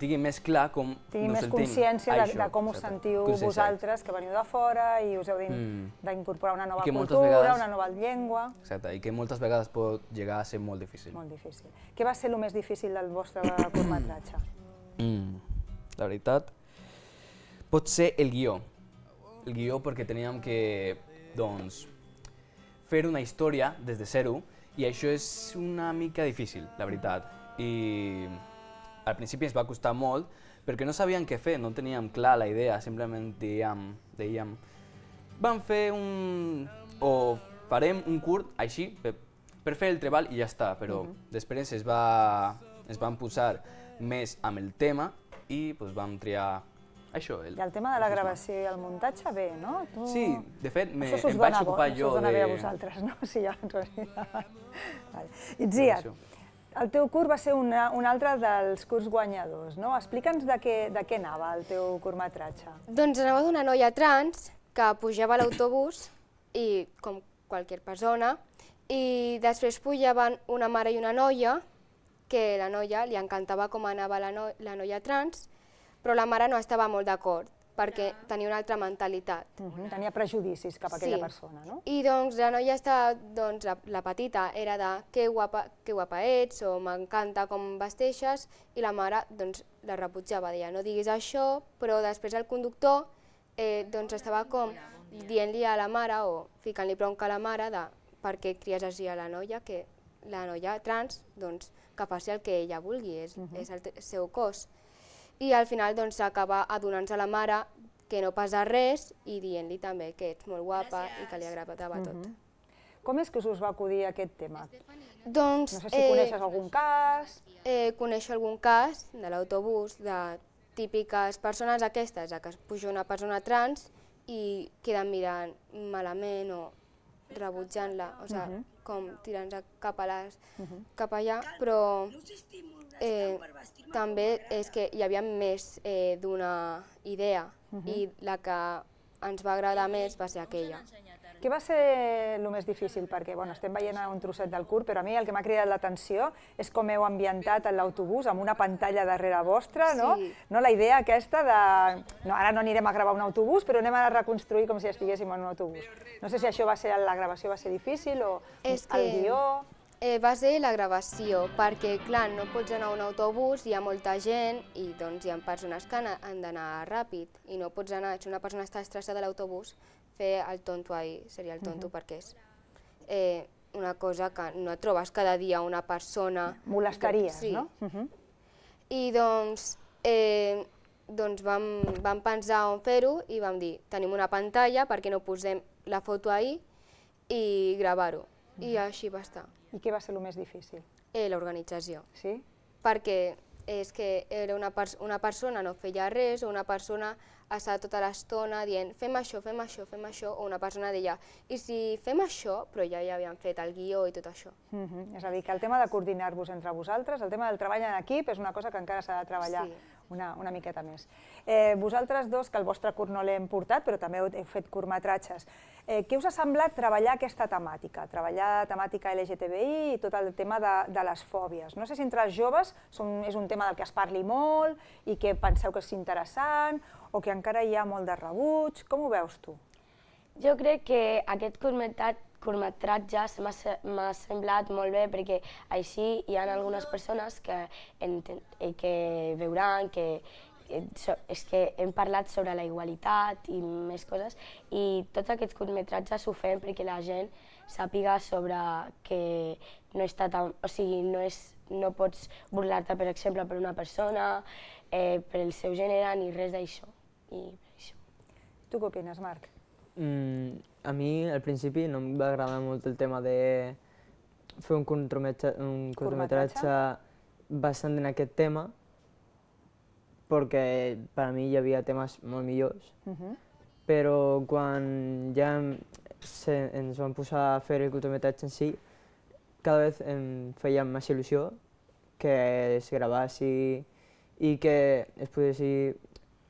tingui més clar com tingui no més sentim. consciència de, Això, de com us exacte. sentiu Consciència. vosaltres, que veniu de fora i us heu d'incorporar una nova cultura, vegades, una nova llengua. Exacte, i que moltes vegades pot llegar a ser molt difícil. Molt difícil. Què va ser el més difícil del vostre curtmetratge? Mm, la veritat, pot ser el guió. El guió perquè teníem que, doncs, fer una història des de zero i això és una mica difícil, la veritat. I al principi ens va costar molt perquè no sabíem què fer, no teníem clar la idea, simplement dèiem, dèiem vam fer un... o farem un curt així per, per fer el treball i ja està, però uh-huh. després es, va, es van posar més amb el tema i pues, vam triar Això, el... I el tema de la gravació i el muntatge, bé, no? Tu... Sí, de fet, me, em vaig ocupar jo de... Això us dona bé a vosaltres, no? Sí, ja, en realitat. Vale. Itziar, el teu curs va ser una, un altre dels curs guanyadors, no? Explica'ns de què, de què anava el teu curtmetratge. Doncs anava d'una noia trans que pujava a l'autobús, i com qualsevol persona, i després pujaven una mare i una noia, que la noia li encantava com anava la, no, la noia trans, però la mare no estava molt d'acord, perquè tenia una altra mentalitat. Uh -huh. Tenia prejudicis cap a aquella sí. persona, no? I doncs la noia estava, doncs la, la petita era de que guapa, que guapa ets, o m'encanta com vesteixes, i la mare doncs la rebutjava, deia no diguis això, però després el conductor eh, doncs estava com dient-li a la mare, o ficant-li bronca a la mare, de per què cries així a la noia, que la noia trans, doncs, que faci el que ella vulgui, és, uh -huh. és el seu cos. I al final doncs s'acaba adonant-se a la mare que no passa res i dient-li també que ets molt guapa i que li agradava tot. Uh -huh. Com és que us va acudir aquest tema? Doncs, no sé si eh, coneixes algun cas... Eh, coneixo algun cas de l'autobús, de típiques persones aquestes, que es puja una persona trans i queden mirant malament o rebutjant-la, o sigui, uh -huh. com tirant-se cap, a les, uh -huh. cap allà, però eh, també és que hi havia més eh, d'una idea uh -huh. i la que ens va agradar més va ser aquella. Què va ser el més difícil? Perquè bueno, estem veient un trosset del curt, però a mi el que m'ha cridat l'atenció és com heu ambientat l'autobús amb una pantalla darrere vostra, no? Sí. No, la idea aquesta de... No, ara no anirem a gravar un autobús, però anem a reconstruir com si estiguéssim en un autobús. No sé si això va ser, la gravació va ser difícil o és el que... guió... Eh, va ser la gravació, perquè clar, no pots anar a un autobús, hi ha molta gent i doncs hi ha persones que han d'anar ràpid i no pots anar, si una persona està estressada a l'autobús, fer el tonto ahí, seria el tonto, uh -huh. perquè és eh, una cosa que no et trobes cada dia una persona... Molestaries, sí. no? Uh -huh. I doncs, eh, doncs vam, vam pensar on fer-ho i vam dir, tenim una pantalla, perquè no posem la foto ahí i gravar-ho. Uh -huh. I així va estar. I què va ser el més difícil? Eh, L'organització. Sí? Perquè és que era una, pers una persona no feia res, o una persona estava tota l'estona dient fem això, fem això, fem això, o una persona deia i si fem això, però ja ja havien fet el guió i tot això. Uh -huh. És a dir, que el tema de coordinar-vos entre vosaltres, el tema del treball en equip és una cosa que encara s'ha de treballar sí. una, una miqueta més. Eh, vosaltres dos, que el vostre curt no l'hem portat, però també heu fet curtmetratges, eh, què us ha semblat treballar aquesta temàtica? Treballar temàtica L G T B I i tot el tema de, de les fòbies. No sé si entre els joves són, és un tema del que es parli molt i que penseu que és interessant, o que encara hi ha molt de rebuig. Com ho veus tu? Jo crec que aquest curtmetratge m'ha semblat molt bé perquè així hi ha algunes persones que, que veuran que és que hem parlat sobre la igualtat i més coses i tots aquests curtmetratges ho fem perquè la gent sàpiga sobre que no està tan... O sigui, no, és, no pots burlar-te, per exemple, per una persona, eh, per el seu gènere, ni res d'això. I això. Tu què opines, Marc? Mm, a mi, al principi, no em va agradar molt el tema de fer un curtmetratge, un curtmetratge bastant en aquest tema, perquè per a mi hi havia temes molt millors, uh -huh. però quan ja se, ens vam posar a fer el curtmetratge en si, cada vegada em feia més il·lusió que es gravassi i que es poguessi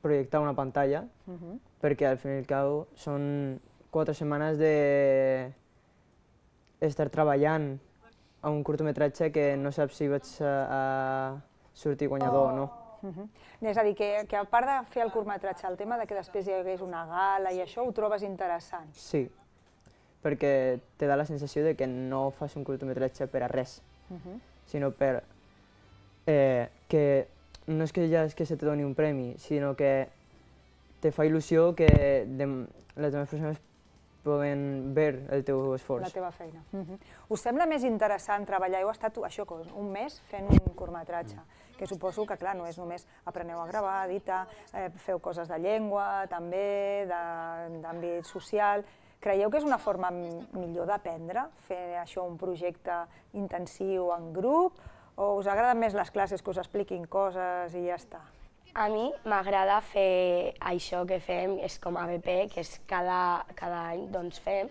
projectar una pantalla, uh -huh. perquè al fin i al cabo són quatre setmanes de estar treballant a un curtmetratge que no saps si vaig a, a sortir guanyador oh. o no. Uh -huh. És a dir, que, que a part de fer el curtmetratge, el tema de que després hi hagués una gala i això, ho trobes interessant? Sí, perquè te da la sensació de que no fas un curtmetratge per a res, uh -huh. sinó per eh, que no és que ja és que se te doni un premi, sinó que te fa il·lusió que de, les demás persones poden veure el teu esforç. La teva feina. Uh -huh. Us sembla més interessant treballar? Heu estat això, un mes fent un curtmetratge, que suposo que, clar, no és només apreneu a gravar, editar, eh, feu coses de llengua, també, d'àmbit social. Creieu que és una forma millor d'aprendre, fer això un projecte intensiu en grup, o us agraden més les classes que us expliquin coses i ja està? A mi m'agrada fer això que fem, és com A B P, que és cada, cada any doncs, fem,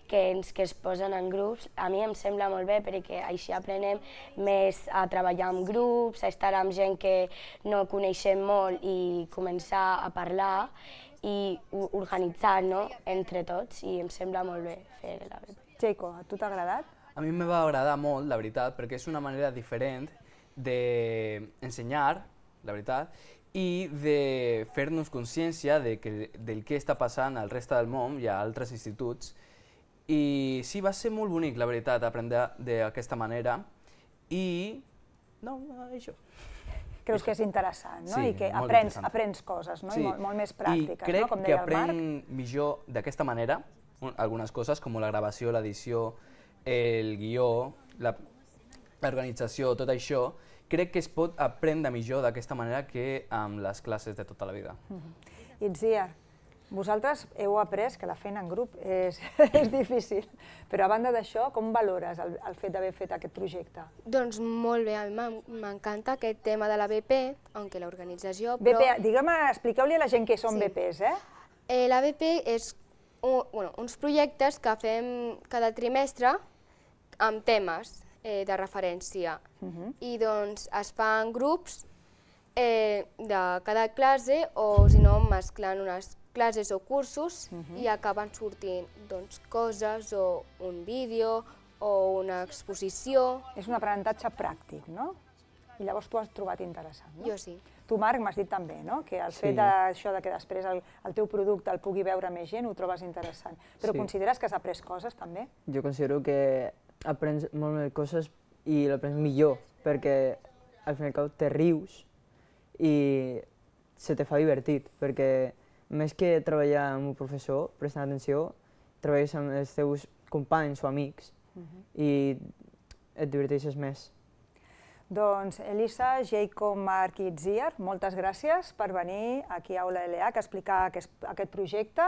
que, ens, que es posen en grups. A mi em sembla molt bé perquè així aprenem més a treballar en grups, a estar amb gent que no coneixem molt i començar a parlar i organitzar, no?, entre tots, i em sembla molt bé fer l'A B P. Jaico, a tu t'ha agradat? A mi em va agradar molt, la veritat, perquè és una manera diferent d'ensenyar, la veritat, i de fer-nos consciència de que, del que està passant al reste del món i a altres instituts. I sí, va ser molt bonic, la veritat, aprendre d'aquesta manera i... no, això. Creus que és interessant, no? Sí, I que molt aprens, interessant. aprens coses, no? Sí. I molt, molt més pràctiques, I crec no? Com que deia el Marc. aprenc millor d'aquesta manera algunes coses, com la gravació, l'edició, el guió, l'organització, tot això. Crec que es pot aprendre millor d'aquesta manera que amb les classes de tota la vida. Uh-huh. Itziar, vosaltres heu après que la feina en grup és, és difícil, però a banda d'això, com valores el, el fet d'haver fet aquest projecte? Doncs molt bé, a mi m'encanta aquest tema de la B P, aunque l'organització, però... però... Digue'm, expliqueu-li a la gent què són Sí. B Ps, eh? Eh, la B P és un, bueno, uns projectes que fem cada trimestre amb temes eh, de referència. Uh-huh. I doncs es fan grups eh, de cada classe o, si no, mesclant unes classes o cursos uh-huh. i acaben sortint doncs, coses o un vídeo o una exposició. És un aprenentatge pràctic, no? I llavors tu has trobat interessant, no? Jo sí. Tu, Marc, m'has dit també, no?, que el Sí. fet d'això de que després el, el teu producte el pugui veure més gent ho trobes interessant. Però Sí. consideres que has après coses, també? Jo considero que aprens molt més coses i l'aprens millor, perquè al fin i al cap te rius i se te fa divertit, perquè més que treballar amb un professor, prestant atenció, treballes amb els teus companys o amics Uh-huh. i et diverteixes més. Doncs Elisa, Jaico, Marc i Itziar, moltes gràcies per venir aquí a Aula L H a explicar aquest, aquest projecte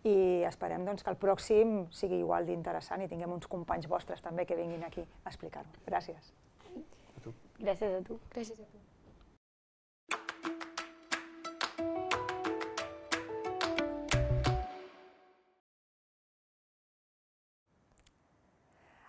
i esperem doncs, que el pròxim sigui igual d'interessant i tinguem uns companys vostres també que vinguin aquí a explicar-ho. Gràcies. A tu. Gràcies a tu. Gràcies a tu.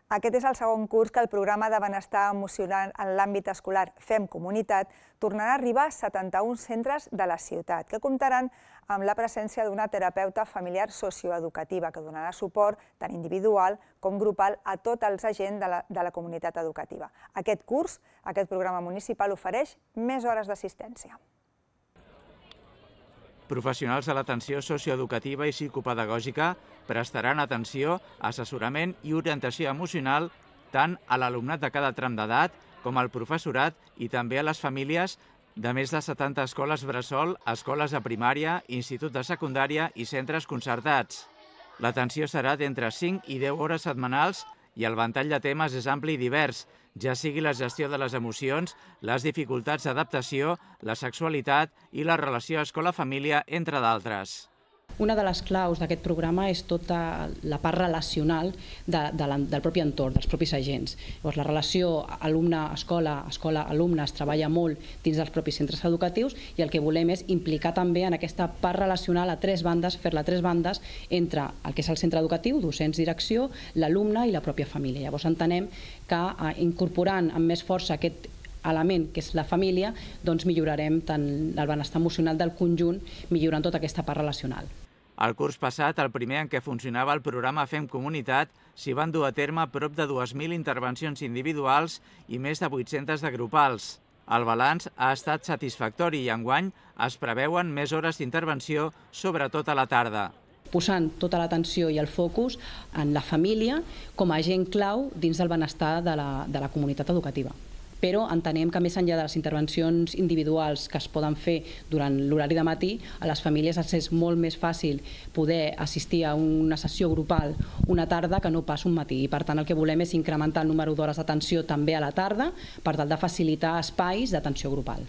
Aquest és el segon curs que el programa de benestar emocional en l'àmbit escolar Fem Comunitat tornarà a arribar a setanta-un centres de la ciutat, que comptaran amb la presència d'una terapeuta familiar socioeducativa que donarà suport tant individual com grupal a tots els agents de la, de la comunitat educativa. Aquest curs, aquest programa municipal ofereix més hores d'assistència. Professionals de l'atenció socioeducativa i psicopedagògica prestaran atenció, assessorament i orientació emocional tant a l'alumnat de cada tram d'edat com al professorat i també a les famílies de més de setanta escoles bressol, escoles de primària, institut de secundària i centres concertats. L'atenció serà d'entre cinc i deu hores setmanals i el ventall de temes és ampli i divers, ja sigui la gestió de les emocions, les dificultats d'adaptació, la sexualitat i la relació escola-família, entre d'altres. Una de les claus d'aquest programa és tota la part relacional de, de la, del propi entorn, dels propis agents. Llavors, la relació alumne-escola, escola-alumne es treballa molt dins dels propis centres educatius i el que volem és implicar també en aquesta part relacional a tres bandes, fer-la a tres bandes entre el que és el centre educatiu, docents, direcció, l'alumne i la pròpia família. Llavors entenem que eh, incorporant amb més força aquest element que és la família, doncs millorarem tant el benestar emocional del conjunt, millorant tota aquesta part relacional. El curs passat, el primer en què funcionava el programa Fem Comunitat, s'hi van dur a terme prop de dues mil intervencions individuals i més de vuit-centes de grupals. El balanç ha estat satisfactori i enguany es preveuen més hores d'intervenció, sobretot a la tarda. Posant tota l'atenció i el focus en la família com a agent clau dins del benestar de la, de la comunitat educativa. Però entenem que més enllà de les intervencions individuals que es poden fer durant l'horari de matí, a les famílies els és molt més fàcil poder assistir a una sessió grupal una tarda que no pas un matí. I per tant el que volem és incrementar el número d'hores d'atenció també a la tarda per tal de facilitar espais d'atenció grupal.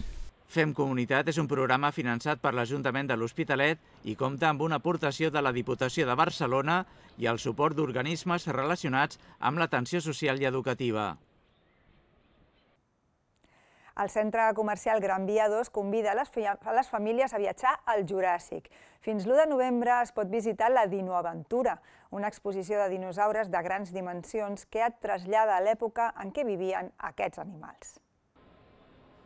Fem Comunitat és un programa finançat per l'Ajuntament de l'Hospitalet i compta amb una aportació de la Diputació de Barcelona i el suport d'organismes relacionats amb l'atenció social i educativa. El centre comercial Gran Via dos convida a les famílies a viatjar al Juràssic. Fins l'u de novembre es pot visitar la Dinoaventura, una exposició de dinosaures de grans dimensions que et trasllada a l'època en què vivien aquests animals.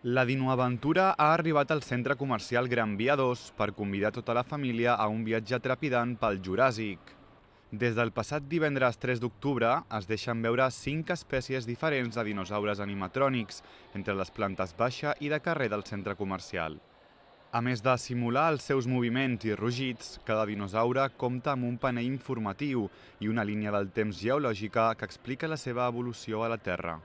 La Dinoaventura ha arribat al centre comercial Gran Via dos per convidar tota la família a un viatge trepidant pel Juràssic. Des del passat divendres tres d'octubre es deixen veure cinc espècies diferents de dinosaures animatrònics entre les plantes baixa i de carrer del centre comercial. A més de simular els seus moviments i rugits, cada dinosaure compta amb un panell informatiu i una línia del temps geològica que explica la seva evolució a la Terra.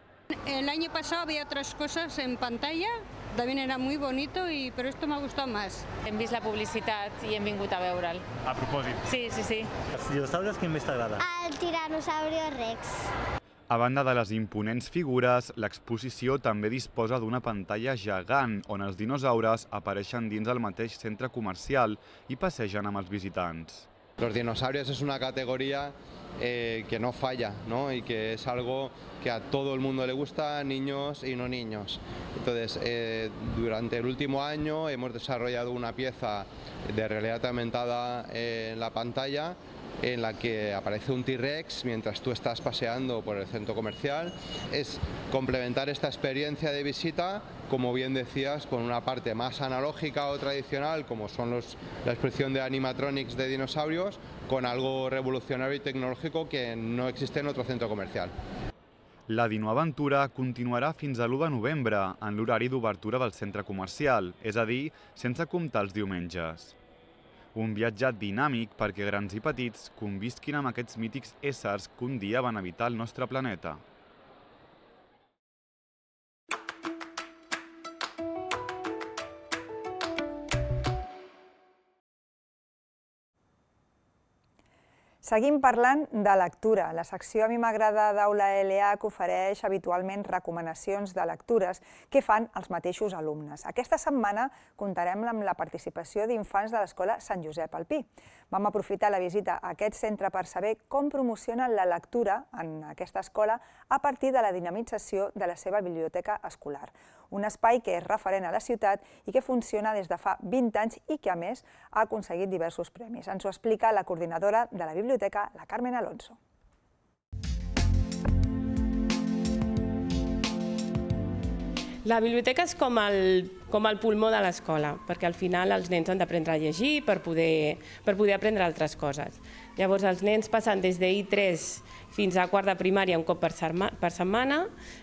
El año pasado había otras cosas en pantalla, también era muy bonito, y, pero esto me ha gustado más. Hem vist la publicitat i hem vingut a veure'l. A propòsit. Sí, sí, sí. Els dinosaures, quin més t'agrada? El Tiranosaurio Rex. A banda de les imponents figures, l'exposició també disposa d'una pantalla gegant on els dinosaures apareixen dins el mateix centre comercial i passegen amb els visitants. Los dinosaurios es una categoría eh, que no falla, ¿no? Y que es algo que a todo el mundo le gusta, niños y no niños. Entonces, eh, durante el último año hemos desarrollado una pieza de realidad aumentada en la pantalla en la que aparece un T-Rex mientras tú estás paseando por el centro comercial. Es complementar esta experiencia de visita, como bien decías, con una parte más analógica o tradicional, como son los, la exposición de animatronics de dinosaurios, con algo revolucionario y tecnológico que no existe en otro centro comercial. La Dinoaventura continuarà fins a l'u de novembre en l'horari d'obertura del centre comercial, és a dir, sense comptar els diumenges. Un viatge dinàmic perquè grans i petits convisquin amb aquests mítics éssers que un dia van habitar el nostre planeta. Seguim parlant de lectura. La secció A mi m'agrada d'Aula L H ofereix habitualment recomanacions de lectures que fan els mateixos alumnes. Aquesta setmana comptarem amb la participació d'infants de l'Escola Sant Josep al Pi. Vam aprofitar la visita a aquest centre per saber com promocionen la lectura en aquesta escola a partir de la dinamització de la seva biblioteca escolar. Un espai que és referent a la ciutat i que funciona des de fa vint anys i que, a més, ha aconseguit diversos premis. Ens ho explica la coordinadora de la biblioteca, la Carmen Alonso. La biblioteca és com el, com el pulmó de l'escola, perquè al final els nens han d'aprendre a llegir per poder, per poder aprendre altres coses. Llavors els nens passen des de I tres fins a quart de primària un cop per setmana,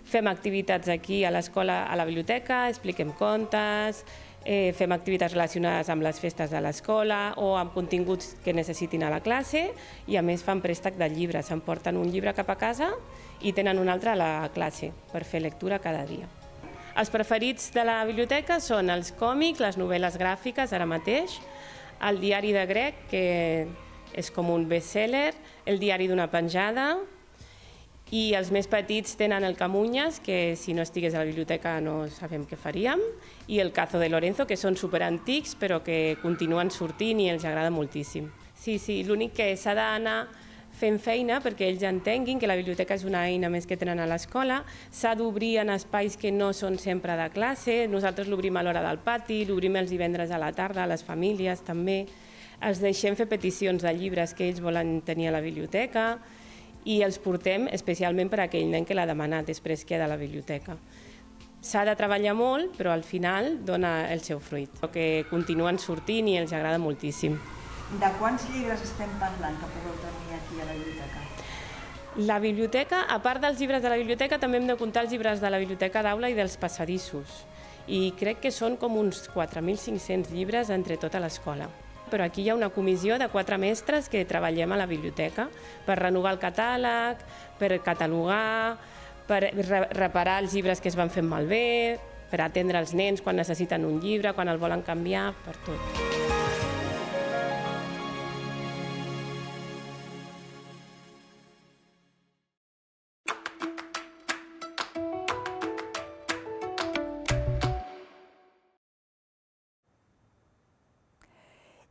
fem activitats aquí a l'escola, a la biblioteca, expliquem contes, eh, fem activitats relacionades amb les festes de l'escola o amb continguts que necessitin a la classe i a més fan préstec de llibres, s'emporten un llibre cap a casa i tenen un altre a la classe per fer lectura cada dia. Els preferits de la biblioteca són els còmics, les novel·les gràfiques, ara mateix, el diari de grec, que és com un best-seller, el diari d'una penjada, i els més petits tenen el Camunyes, que si no estigués a la biblioteca no sabem què faríem, i el Cazo de Lorenzo, que són superantics però que continuen sortint i els agrada moltíssim. Sí, sí, l'únic que s'ha d'anar fent feina perquè ells entenguin que la biblioteca és una eina més que tenen a l'escola, s'ha d'obrir en espais que no són sempre de classe, nosaltres l'obrim a l'hora del pati, l'obrim els divendres a la tarda, a les famílies també, els deixem fer peticions de llibres que ells volen tenir a la biblioteca i els portem especialment per a aquell nen que l'ha demanat després que ha de la biblioteca. S'ha de treballar molt, però al final dona el seu fruit, que continuen sortint i els agrada moltíssim. De quants llibres estem parlant que pugueu tenir aquí a la biblioteca? La biblioteca, a part dels llibres de la biblioteca, també hem de comptar els llibres de la biblioteca d'aula i dels passadissos. I crec que són com uns quatre mil cinc-cents llibres entre tota l'escola. Però aquí hi ha una comissió de quatre mestres que treballem a la biblioteca per renovar el catàleg, per catalogar, per reparar els llibres que es van fent malbé, per atendre els nens quan necessiten un llibre, quan el volen canviar, per tot.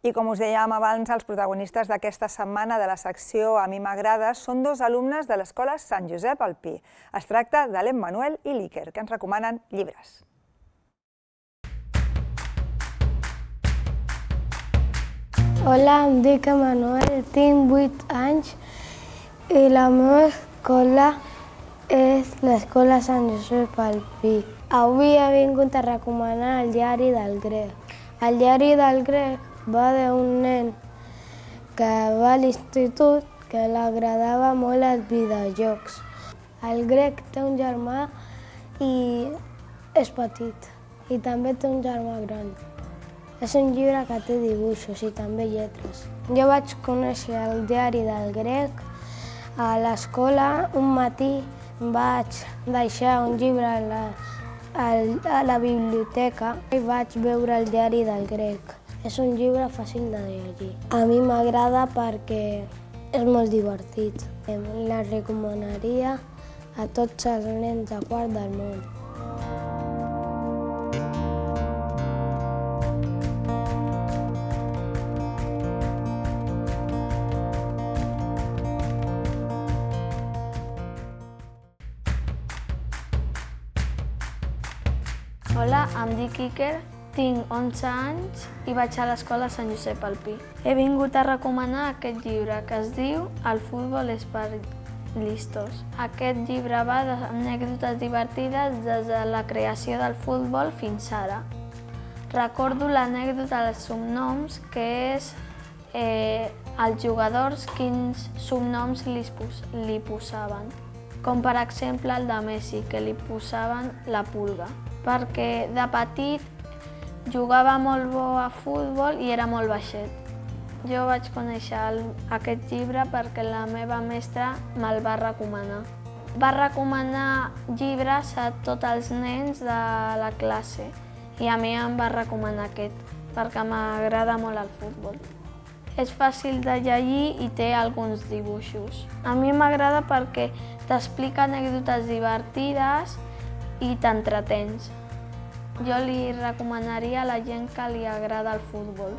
I com us dèiem abans, els protagonistes d'aquesta setmana de la secció A mi m'agrada són dos alumnes de l'Escola Sant Josep al Pi. Es tracta de l'Emmanuel i l'Iker, que ens recomanen llibres. Hola, em dic Emanuel, tinc vuit anys i la meva escola és l'escola Sant Josep al Pi. Avui he vingut a recomanar el diari del grec. El diari del grec va d'un nen que va a l'institut que li agradava molt els videojocs. El grec té un germà i és petit i també té un germà gran. És un llibre que té dibuixos i també lletres. Jo vaig conèixer el diari del grec a l'escola. Un matí vaig deixar un llibre a la, a la biblioteca i vaig veure el diari del grec. És un llibre fàcil de llegir. A mi m'agrada perquè és molt divertit. La recomanaria a tots els nens de quart del món. Hola, em dic Iker, tinc onze anys i vaig a l'escola Sant Josep al Pi. He vingut a recomanar aquest llibre que es diu El futbol és per listos. Aquest llibre va d'anècdotes divertides des de la creació del futbol fins ara. Recordo l'anècdota dels subnoms, que és eh, els jugadors quins subnoms li, pos li posaven. Com per exemple el de Messi, que li posaven la pulga, perquè de petit jugava molt bo a futbol i era molt baixet. Jo vaig conèixer el, aquest llibre perquè la meva mestra me'l va recomanar. Va recomanar llibres a tots els nens de la classe i a mi em va recomanar aquest, perquè m'agrada molt el futbol. És fàcil de llegir i té alguns dibuixos. A mi m'agrada perquè t'explica anècdotes divertides i t'entretens. Jo li recomanaria a la gent que li agrada el futbol.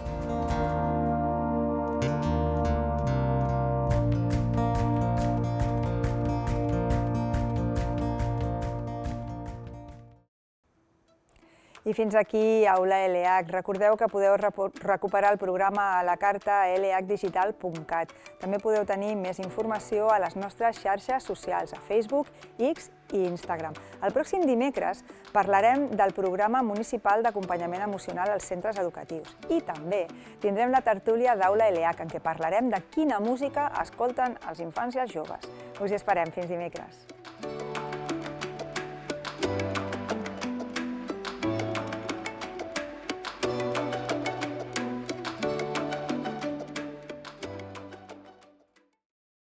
I fins aquí Aula L H. Recordeu que podeu recuperar el programa a la carta a l h digital punt cat. També podeu tenir més informació a les nostres xarxes socials, a Facebook, X i Instagram. El pròxim dimecres parlarem del programa municipal d'acompanyament emocional als centres educatius. I també tindrem la tertúlia d'Aula L H, en què parlarem de quina música escolten els infants i els joves. Us hi esperem. Fins dimecres.